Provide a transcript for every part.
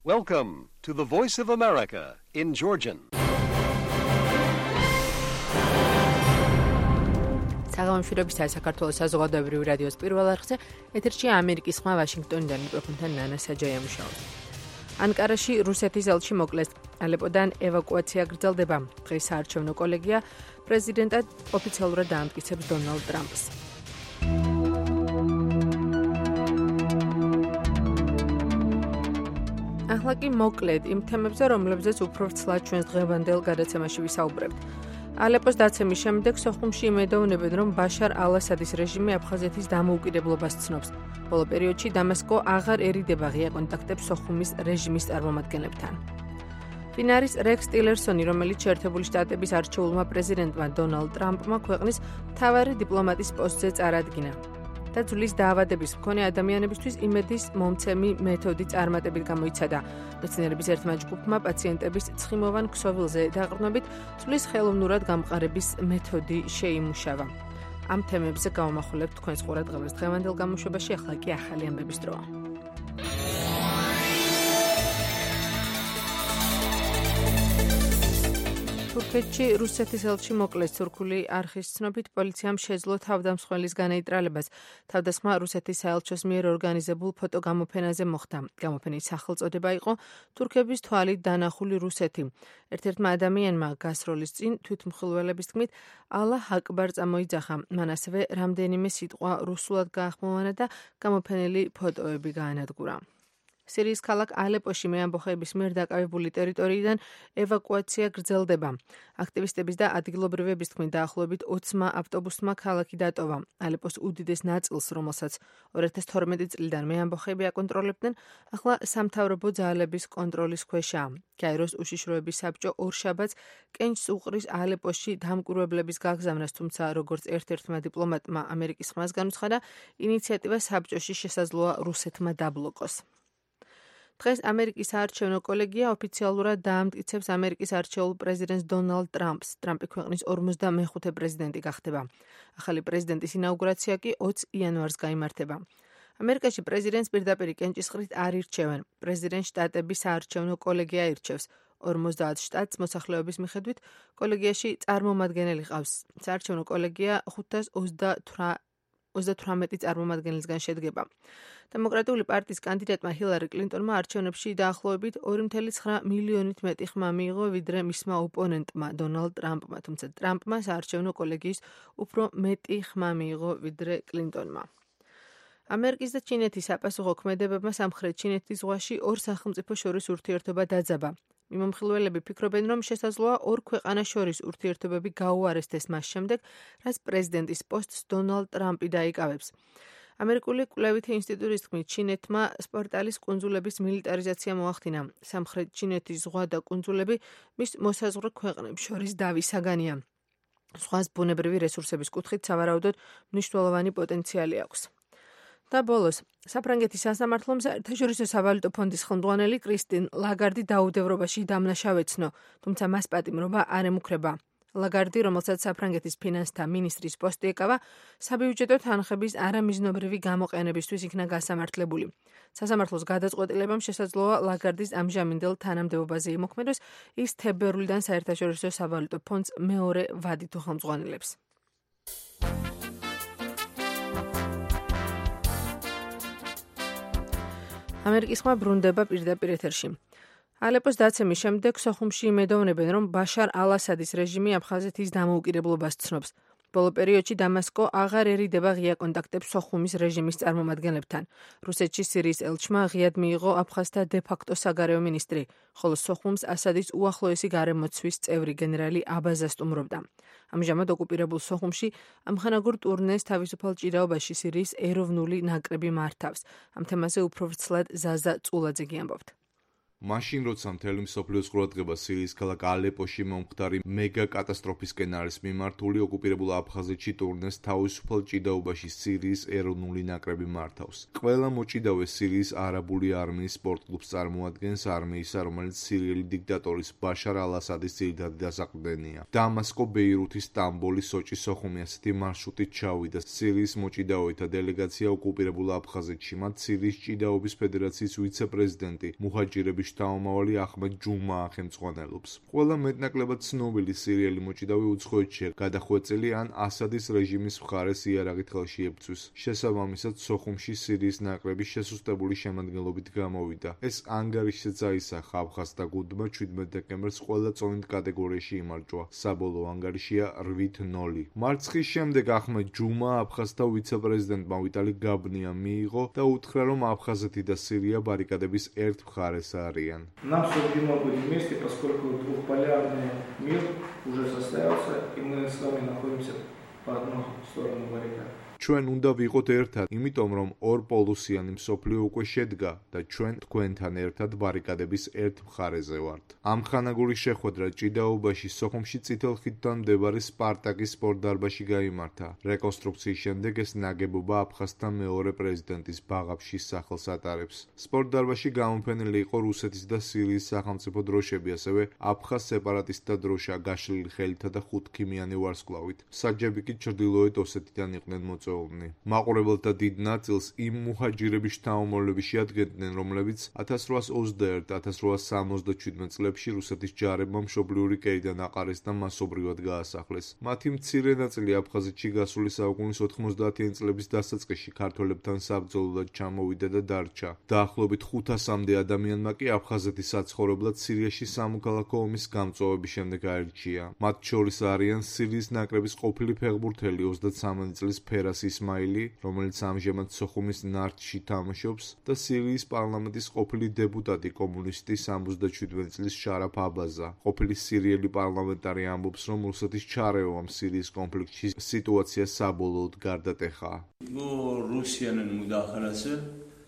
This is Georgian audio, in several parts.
Welcome to the Voice of America in Georgian. საღამოშვიდობისა საქართველოს საზოგადოებრივი რადიოს პირველ არხზე ეთერში ამერიკის ხმა ვაშინგტონიდან მიკროფონთან ნანა საჯაია მუშაობს. ანკარაში რუსეთის ელჩი მოკლეს. ალეპოდან ევაკუაცია გრძელდება. დღეს საარჩევნო კოლეგია პრეზიდენტად ოფიციალურად დაამტკიცებს დონალდ ტრამპს. ახლა კი მოკლედ იმ თემებზე, რომლებზეც უფრო ვრცლად ჩვენს დღევანდელ გადაცემაში ვისაუბრებთ. ალეპოს დაცემის შემდეგ სოხუმში იმედოვნებენ, რომ ბაშარ ალ-ასადის რეჟიმი აფხაზეთის დამოუკიდებლობას ცნობს. ბოლო პერიოდში დამასკო აღარ ერიდება ღია კონტაქტებს სოხუმის რეჟიმის წარმომადგენლებთან. ფინარის რექს ტილერსონი, რომელიც შეერთებული შტატების არჩეულმა პრეზიდენტმა დონალდ ტრამპმა ქვეყნის მთავარი დიპლომატის პოსტზე წარადგინა. და ძვლის დაავადების მქონე ადამიანებისთვის იმედის მომცემი მეთოდი წარმატებით გამოიცადა. მეცნიერების ერთმა ჯგუფმა პაციენტების ცხიმოვან ქსოვილზე დაყრდნობით ძვლის ხელოვნურად გამყარების მეთოდი შეიმუშავა. ამ თემებზე გავამახვილებთ თქვენს ყურადღებას დღევანდელ გამოშვებაში, ახლა კი ახალი ამბების დროა. თურქეთში რუსეთის ელჩი მოკლეს. თურქული არხის ცნობით პოლიციამ შეძლო თავდამსხმელის განეიტრალებას. თავდასხმა რუსეთის საელჩოს მიერ ორგანიზებულ ფოტოგამოფენაზე მოხდა. გამოფენის სახელწოდება იყო თურქების თვალით დანახული რუსეთი. ერთ-ერთმა ადამიანმა გასროლის წინ თვითმხილველების თქმით ალლაჰ აკბარ წამოიძახა. მან ასევე რამდენიმე სიტყვა რუსულად გაახმოვანა და გამოფენილი ფოტოები გაანადგურა. სირიის ქალაქ ალეპოში მეამბოხეების მიერ დაკავებული ტერიტორიიდან ევაკუაცია გრძელდება. აქტივისტების და ადგილობრივების თქმით დაახლოებით 20 ავტობუსმა ქალაქი დატოვა. ალეპოს უდიდეს ნაწილს, რომელსაც 2012 წლიდან მეამბოხეები აკონტროლებდნენ, ახლა სამთავრობო ძალების კონტროლის ქვეშაა. კაიროს უშიშროების საბჭო ორშაბათს კენჭს უყრის ალეპოში დამკვირვებლების გაგზავნას, თუმცა როგორც ერთ-ერთმა დიპლომატმა ამერიკის ხმას განუცხადა, ინიციატივა საბჭოში შესაძლოა რუსეთმა დაბლოკოს. დღეს ამერიკის საარჩევნო კოლეგია ოფიციალურად დაამტკიცებს ამერიკის არჩეულ პრეზიდენტს დონალდ ტრამპს. ტრამპი ქვეყნის 45 პრეზიდენტი გახდება. ახალი პრეზიდენტის ინაუგურაცია კი 20 იანვარს გაიმართება. ამერიკაში პრეზიდენტს პირდაპირ კენჭისყრით არ ირჩევენ. პრეზიდენტს შტატების საარჩევნო კოლეგია ირჩევს. 50 შტატს მოსახლეობის მიხედვით კოლეგიაში წარმომადგენელი ყავს. საარჩევნო კოლეგია 528 წარმომადგენლისგან შედგება. დემოკრატიული პარტიის კანდიდატმა ჰილარი კლინტონმა არჩევნებში დაახლოებით 2,9 მილიონით მეტი ხმა მიიღო, ვიდრე მისმა ოპონენტმა დონალდ ტრამპმა, თუმცა ტრამპმა საარჩევნო კოლეგიის უფრო მეტი ხმა მიიღო, ვიდრე კლინტონმა. ამერიკის და ჩინეთის საპასუხო ქმედებებმა სამხრეთ ჩინეთის ზღვაში ორ სახელმწიფო შორის ურთიერთობა დაძაბა. მიმომხილველები ფიქრობენ, რომ შესაძლოა ორ ქვეყანას შორის ურთიერთობები გაუარესდეს მას შემდეგ, რაც პრეზიდენტის პოსტს დონალდ ტრამპი დაიკავებს. ამერიკული კვლევითი ინსტიტუტის თქმით, ჩინეთმა სპორტალის კუნძულების მილიტარიზაცია მოახდინა. სამხრეთ ჩინეთის ზღვა და კუნძულები მის მოსაზღვრე ქვეყნებს შორის დავისაგანია. ზღვას ბუნებრივი რესურსების კუთხით სავარაუდოდ მნიშვნელოვანი პოტენციალი აქვს. და ბოლოს, საფრანგეთის სასამართლომ საერთაშორისო სავალუტო ფონდის ხელმძღვანელი კრისტინ ლაგარდი დაუდევრობაში დამნაშავეცნო, თუმცა მას პატიმრობა არ ემუქრება. ლაგარდი, რომელსაც საფრანგეთის ფინანსთა მინისტრის პოსტი ეკავა, საბიუჯეტო თანხების არამიზნობრივი გამოყენებისთვის იქნა გასამართლებული. სასამართლოს გადაწყვეტილებამ შესაძლოა ლაგარდის ამჟამინდელ თანამდებობაზე იმოქმედოს, ის თებერვლიდან საერთაშორისო სავალუტო ფონდს მეორე ვადით უხელმძღვანელებს. ამერიკის ხმა ბრუნდება პირდაპირ ეთერში. ალეპოს დაცემის შემდეგ სოხუმში იმედოვნებენ, რომ ბაშარ ალ-ასადის რეჟიმი აფხაზეთის დამოუკიდებლობას ცნობს. ბოლო პერიოდში დამასკო აღარ ერიდება ღია კონტაქტებს სოხუმის რეჟიმის წარმომადგენლებთან. რუსეთში სირიის ელჩმა ღიად მიიღო აფხაზთა დე-ფაქტო საგარეო მინისტრი, ხოლო სოხუმს ასადის უახლოესი გარემოცვის წევრი გენერალი აბაზა სტუმრობდა. ამჟამად ოკუპირებულ სოხუმში ამხანაგურ ტურნეს თავისუფალ ჭიდაობაში სირიის ეროვნული ნაკრები მართავს. ამ თემაზე უფრო ვრცლად ზაზა წულაძე გიამბობთ. მაშინ როცა მთელი მსოფლიოს ყურადღება სირიის ქალაქ ალეპოში მომხდარი მეგა კატასტროფისკენ არის მიმართული, ოკუპირებულ აფხაზეთში ტურნეს თავისუფალ ჭიდაობაში სირიის ეროვნული ნაკრები მართავს. ყველა მოჭიდავე სირიის არაბული არმიის სპორტკლუბს წარმოადგენს, არმიისა, რომელიც სირიელი დიქტატორის ბაშარ ალ-ასადის ძირითადი დასაყრდენია. დამასკო, ბეირუთი, სტამბოლი, სოჭი, სოხუმი ასეთი მარშრუტით ჩავიდა სირიის მოჭიდავეთა დელეგაცია ოკუპირებულ აფხაზეთში. მათ სირიის ჭიდაობის ფედერაციის ვიცე-პრეზიდენტი მუჰაჯირების სერიალის შთამომავალი ახმედ ჯუმა ხელმძღვანელობს. ყველა მეტნაკლებად ცნობილი სერიალი მოჭიდავი უცხოეთშია გადახვეწილი ან ასადის რეჟიმის მხარეს იარაღით ხელში ებრძვის. შესაბამისად, სოხუმში სირიის ნაკრების შესუსტებული შემადგენლობით გამოვიდა. ეს ანგარიშზეც აისახა აფხაზთა გუნდმა 17 დეკემბერს ყველა წონით კატეგორიაში იმარჯვა. საბოლოო ანგარიშია 8-0. მარცხის შემდეგ ახმედ ჯუმა აფხაზთა ვიცე-პრეზიდენტმა ვიტალი გაბნიამ მიიღო და უთხრა, რომ აფხაზეთი და სირია баррикадების ერთ მხარეს არიან. Нам суждено быть вместе, поскольку двухполярный мир уже состоялся, и мы с вами находимся по одну сторону баррикад. ჩვენ უნდა ვიყოთ ერთად, იმიტომ რომ ორპოლუსიანი მსოფლიო უკვე შედგა და ჩვენ თქვენთან ერთად баррикадების ერთ მხარეზე ვართ. ამხანაგური შეხვედრა ჭიდაობაში სოხუმში წითელ ხიდთან მდებარე სპარტაკის სპორტდარბაზში გაიმართა. რეკონსტრუქციის შემდეგ ეს ნაგებობა აფხაზთა მეორე პრეზიდენტის ბაღაფშის სახელს ატარებს. სპორტდარბაზში გამოფენილი იყო რუსეთის და სირიის სახელმწიფო დროშები, ასევე აფხაზ სეპარატისტთა დროშა გაშლილი ხელითა და ხუთქიმიანი ვარსკვლავით. საჯები კი ჩრდილოეთ ოსეთიდან იყვნენ მაყურებელთა დიდ ნაწილს იმ მუჰაჯირების შთამომავლები შეადგენდნენ, რომლებიც 1821-1867 წლებში რუსეთის ჯარებმა მშობლიური კერიდან აყარეს და მასობრივად გაასახლეს. მათი მცირე ნაწილი აფხაზეთში გასული საუკუნის 90-იანი წლების დასაწყისში ქართველებთან საბრძოლოდ ჩამოვიდა და დარჩა. დაახლოებით 500-მდე ადამიანმა კი აფხაზეთის საცხოვრებლად სირიაში სამოქალაქო ომის გამწვავების შემდეგ აირჩია. მათ შორის არიან სირიის ნაკრების ყოფილი ფეხბურთელი 33 წლის ფერას ისმაილი, რომელიც ამჟამად სოხუმის ნართში თამაშობს და სირიის პარლამენტის ყოფილი დეპუტატი კომუნისტი 77 წლის შარაფ აბაზა. ყოფილი სირიელი პარლამენტარი ამბობს, რომ რუსეთის ჩარევამ სირიის კონფლიქტში სიტუაცია saboloğud გარდატეხა. Bu Rusya'nın müdahalesi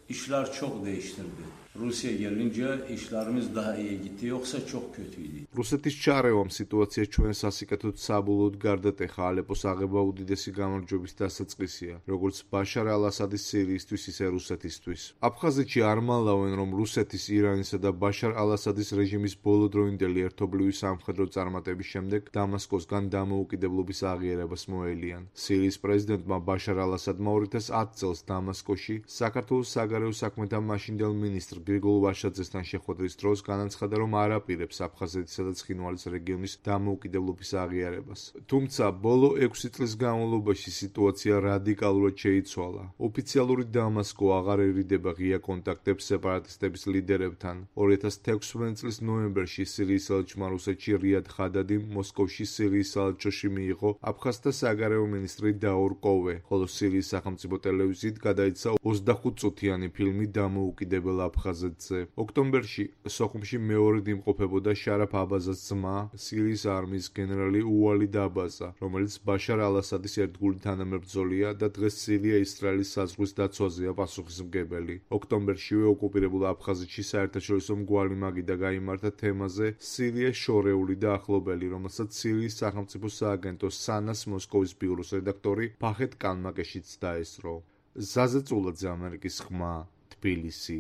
işler çok değiştirdi. Rusya gelince işlerimiz daha iyi gitti, yoksa çok kötüydü. რუსეთის ჩარევამ სიტუაცია ჩვენ სასიკეთოდ საბოლოოდ გარდატეხა. ალეპოს აღება უდიდესი გამარჯვების დასაწყისია, როგორც ბაშარ ალ-ასადის სირიისთვის, ისე რუსეთისთვის. აფხაზეთში არ მალავენ, რომ რუსეთის, ირანისა და ბაშარ ალ-ასადის რეჟიმის ბოლოდროინდელი ერთობლივი სამხედრო წარმატების შემდეგ დამასკოსგან დამოუკიდებლობის აღიარებას მოელიან. სირიის პრეზიდენტმა ბაშარ ალ-ასადმა 2010 წელს დამასკოში საქართველოს საგარეო საქმეთა მაშინდელ მინისტრ გრიგოლ ვაშაძესთან შეხვედრის დროს განაცხადა, რომ არ აპირებს აფხაზეთისა და ცხინვალის რეგიონის დამოუკიდებლობის აღიარებას. თუმცა ბოლო 6 წლის განმავლობაში სიტუაცია რადიკალურად შეიცვალა. ოფიციალური დამასკო აღარ ერიდება ღია კონტაქტებს სეპარატისტების ლიდერებთან. 2016 წლის ნოემბერში სირიის ელჩმა რუსეთში რიად ხადადიმ მოსკოვში სირიის საელჩოში მიიღო აფხაზთა საგარეო მინისტრი დაურ კოვე, ხოლო სირიის სახელმწიფო ტელევიზიით გადაიცა 25 წუთიანი ფილმი დამოუკიდებელ აფხაზეთზე. ოქტომბერში სოხუმში მეორედ იმყოფებოდა შარაფ აბაზას ძმა, სირიის არმიის გენერალი უალი დაბაზა, რომელიც ბაშარ ალ-ასადის ერთგული თანამებრძოლია და დღეს სირია ისრაელის საზღვრის დაცვაზეა პასუხისმგებელი. ოქტომბერშივე ოკუპირებულ აფხაზეთში საერთაშორისო მგვალი მაგიდა გაიმართა თემაზე სირია შორეული და ახლობელი, რომელსაც სირიის სახელმწიფო სააგენტო სანას მოსკოვის ბიუროს რედაქტორი ფახეთ კანმაკეშიც დაესწრო. ზაზე წულაძე, ამერიკის ხმა, თბილისი.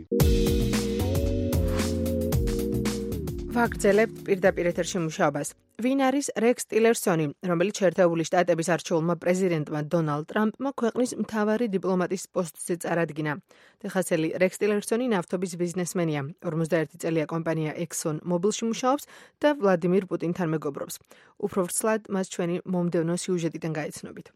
ვაგრძელებ პირდაპირ ეთერში მუშაობას. ვინ არის რექს ტილერსონი, რომელიც შეერთებული შტატების არჩეულმა პრეზიდენტმა დონალდ ტრამპმა ქვეყნის მთავარი დიპლომატის პოსტზე წარადგინა. ტეხასელი რექს ტილერსონი ნავთობის ბიზნესმენია. 51 წელია კომპანია Exxon Mobilში მუშაობს და ვლადიმირ პუტინთან მეგობრობს. უფრო ვრცლად მას ჩვენი მომდევნო სიუჟეტიდან გაიცნობით.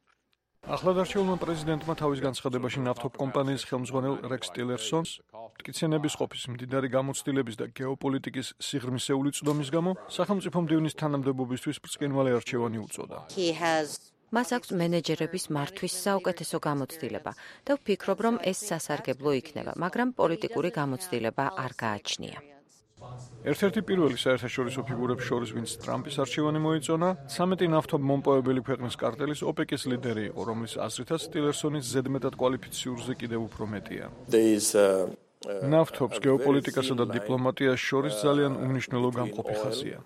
ახლადარჩეულმა პრეზიდენტმა თავის განცხადებაში ნავთობ კომპანიის ხელმძღვანელ რექს ტილერსონს მტკიცენების ყოფის მდიდარი გამოცდილების და გეოპოლიტიკის სიღრმისეული წვდომის გამო სახელმწიფო მდივნის თანამდებობისთვის ბრწყინვალე არჩევანი უწოდა. მას აქვს მენეჯერების მართვის საუკეთესო გამოცდილება და ვფიქრობ, რომ ეს სასარგებლო იქნება, მაგრამ პოლიტიკური გამოცდილება არ გააჩნია. ერთ-ერთი პირველი საერთაშორისო ფიგურებს შორის, ვინც ტრამპის არჩევანი მოიწონა, 13 ნავთობ მომპოვებელი ქვეყნის კარტელის ოპეკის ლიდერი იყო, რომლის აზრითაც ტილერსონის ზედმეტად კვალიფიციურზე კიდევ უფრო მეტია. ნავთობს გეოპოლიტიკასა და დიპლომატიას შორის ძალიან უმნიშვნელო გამყოფი ხაზია.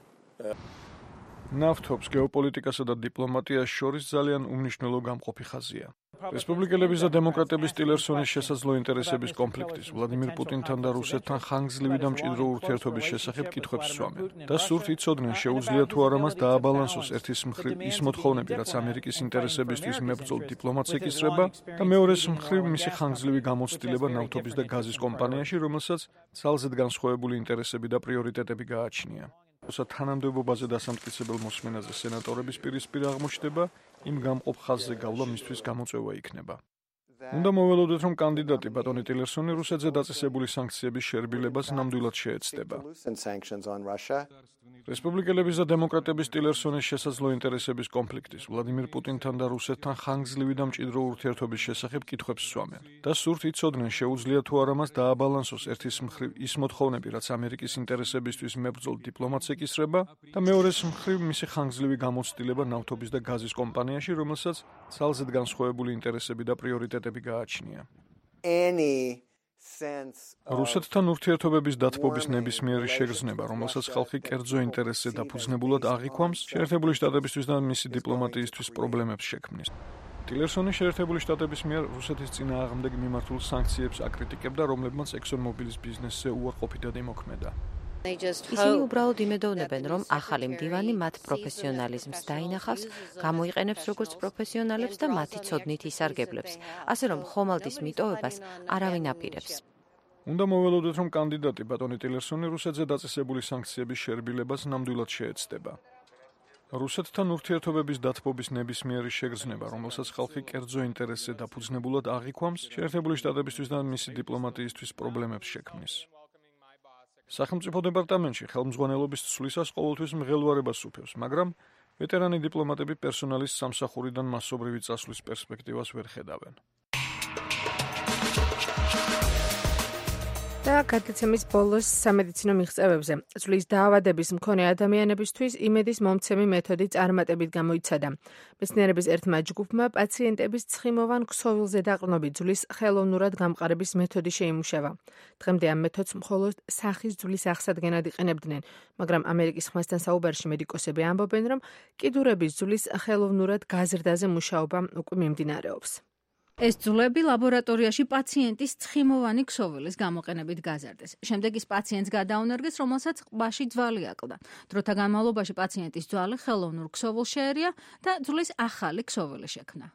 ნავთობს გეოპოლიტიკასა და დიპლომატიას შორის ძალიან უმნიშვნელო გამყოფი ხაზია. რესპუბლიკელების და დემოკრატების ტილერსონის შესაძლო ინტერესების კონფლიქტის, ვლადიმირ პუტინთან და რუსეთთან ხანგრძლივი და მჭიდრო ურთიერთობის შესახებ კითხვებს სვამენ. და სურთ იცოდნენ, შეუძლია თუ არა მას დააბალანსოს ერთის მხრივ ის მოთხოვნები, რაც ამერიკის ინტერესებისთვის მებრძოლ დიპლომატს ეკისრება, და მეორეს მხრივ მისი ხანგრძლივი გამოცდილება ნავთობის და გაზის კომპანიაში, რომელსაც ძალზედ განსხვავებული ინტერესები და პრიორიტეტები გააჩნია. თანამდებობაზე დასამტკიცებელ მოსმენაზე სენატორების პირისპირ აღმოჩნდება, იმ გამყოფ ხაზზე გავლა მისთვის გამოწვევა იქნება. უნდა მოველოდოთ, რომ კანდიდატი ბატონი ტილერსონი რუსეთზე დაწესებული სანქციების შერბილებას ნამდვილად შეეცდება. რესპუბლიკელების და დემოკრატების ტილერსონის შესაძლო ინტერესების კონფლიქტის, ვლადიმირ პუტინთან და რუსეთთან ხანგრძლივი და მჭიდრო ურთიერთობის შესახებ კითხვებს სვამენ. და სურთ იცოდნენ, შეუძლია თუ არა მას დააბალანსოს ერთის მხრივ ის მოთხოვნები, რაც ამერიკის ინტერესებისთვის მებრძოლ დიპლომატს ეკისრება, და მეორეს მხრივ მისი ხანგრძლივი გამოცდილება ნავთობის და გაზის კომპანიაში, რომელსაც ძალზედ განსხვავებული ინტერესები და პრიორიტეტები გააჩნია. რუსეთთან ურთიერთობების დათბობის ნებისმიერი შეგრძნება, რომელსაც ხალხი კერძო ინტერესზე დაფუძნებულად აღიქვამს, შეერთებული შტატებისთვის და მისი დიპლომატიისთვის პრობლემებს შექმნის. ტილერსონი შეერთებული შტატების მიერ რუსეთის წინააღმდეგ მიმართულ სანქციებს აკრიტიკებდა, რომლებმაც ExxonMobil-ის ბიზნესზე უარყოფითად იმოქმედა. ისინი უბრალოდ იმედოვნებენ, რომ ახალი მდივანი მათ პროფესიონალიზმს დაინახავს, გამოიყენებს როგორც პროფესიონალებს და მათი ცოდნით ისარგებლებს, ასე რომ ხომალდის მიტოვებას არავინ აპირებს. უნდა მოველოდოთ, რომ კანდიდატი ბატონი ტილერსონი რუსეთზე დაწესებული სანქციების შერბილებას ნამდვილად შეეცდება. რუსეთთან ურთიერთობების დათბობის ნებისმიერი შეგრძნება, რომელსაც ხალხი კერძო ინტერესზე დაფუძნებულად აღიქვამს, შეერთებული შტატებისთვის და მისი დიპლომატიისთვის პრობლემებს შექმნის. სახელმწიფო დეპარტამენტში ხელმძღვანელობის ცვლისას ყოველთვის მღელვარებას უფევს, მაგრამ ვეტერანი დიპლომატები პერსონალის სამსახურიდან მასობრივი წასვლის პერსპექტივას ვერ ხედავენ. და გადაცემის ბოლოს სამედიცინო მიღწევებზე. წვლის დაავადების მქონე ადამიანებისთვის იმედის მომცემი მეთოდი წარმატებით გამოიცადა. მეცნიერების ერთმა ჯგუფმა პაციენტების ცხიმოვან ქსოვილზე დაყრდნობით ძვლის ხელოვნურად გამყარების მეთოდი შეიმუშავა. დღემდე ამ მეთოდს მხოლოდ სახის ძვლის აღსადგენად იყენებდნენ, მაგრამ ამერიკის ხმასთან საუბარში მედიკოსები ამბობენ, რომ კიდურების ძვლის ხელოვნურად გაზრდაზე მუშაობა უკვე მიმდინარეობს. ეს ძვლები ლაბორატორიაში პაციენტის ცხიმოვანი ქსოვილის გამოყენებით გაზარდეს. შემდეგ ის პაციენტს გადაუნერგეს, რომელსაც ყბაში ძვალი აკლდა. დროთა განმავლობაში პაციენტის ძვალი ხელოვნურ ქსოვილს შეერია და ძვლის ახალი ქსოვილი შექმნა.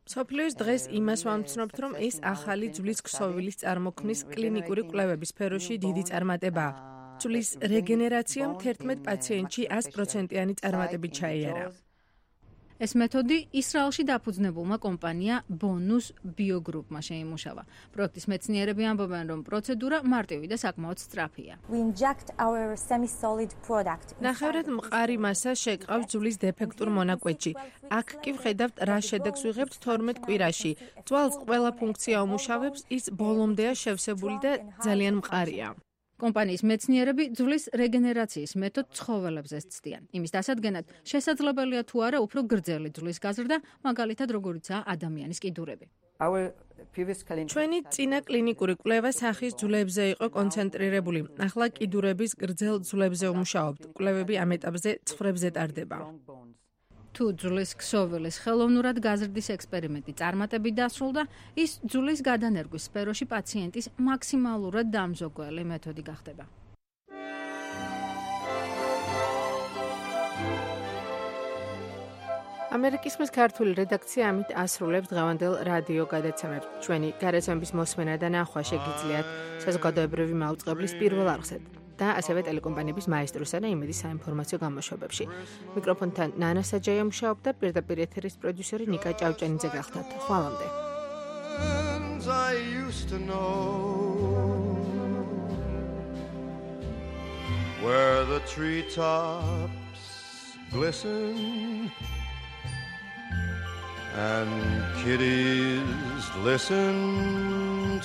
მსოფლიოს დღეს იმას ვამცნობთ, რომ ეს ახალი ძვლის ქსოვილის წარმოქმნის კლინიკური კვლევების სფეროში დიდი წარმატებაა. ძვლის რეგენერაციამ 11 პაციენტში 100%-იანი წარმატებით ჩაიარა. ეს მეთოდი ისრაელში დაფუძნებულმა კომპანია ბონუს ბიოგრუპმა შეიმუშავა. პროექტის მეცნიერები ამბობენ, რომ პროცედურა მარტივი და საკმაოდ სწრაფია. ნახევრად მყარი მასა შეკრავს ძვლის დეფექტურ მონაკვეთში. აქ კი ვხედავთ, რა შედეგს ვიღებთ 12 კვირაში. ძვალს ყველა ფუნქცია უმუშავებს, ის ბოლომდეა შევსებული და ძალიან მყარია. კომპანიის მეცნიერები ძვლის რეგენერაციის მეთოდს ცხოველებზე ცდიან. იმის დასადგენად შესაძლებელია თუ არა უფრო გრძელი ძვლის გაზრდა, მაგალითად როგორიცაა ადამიანის კიდურები. ჩვენი წინა კლინიკური კვლევა სახის ძვლებზე იყო კონცენტრირებული. ახლა კიდურების გრძელ ძვლებზე ვმუშაობთ. კვლევები ამ ეტაპზე ცხრებზე ტარდება. თუ ძვლის ქსოვილის ხელოვნურად გაზრდის ექსპერიმენტი წარმატებით დასრულდა, ის ძვლის გადანერგვის სფეროში პაციენტის მაქსიმალურად დამზოგველი მეთოდი გახდება. ამერიკის ხმის ქართული რედაქცია ამით ასრულებს დღევანდელ რადიო გადაცემებს. ჩვენი გადაცემების მოსმენა და ნახვა შეგიძლიათ საზოგადოებრივი მაუწყებლის პირველ არხზე და ასევე ტელეკომპანიების მაესტროსა და იმედის საინფორმაციო გამოშვებებში. მიკროფონთან ნანა საჯაია მუშაობდა, პირდაპირ ეთერის პროდიუსერი ნიკა ჭავჭანიძე გახდათ. ხვალამდე. Where the treetops glisten and kiddies listen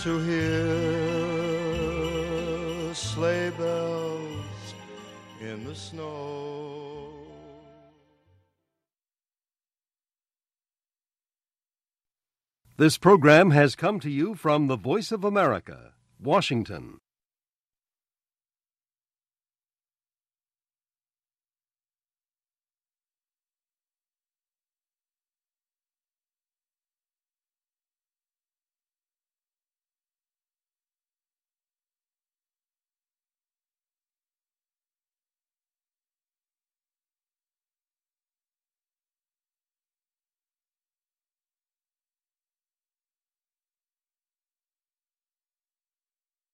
to hear sleigh bells in the snow. This program has come to you from the Voice of America, Washington.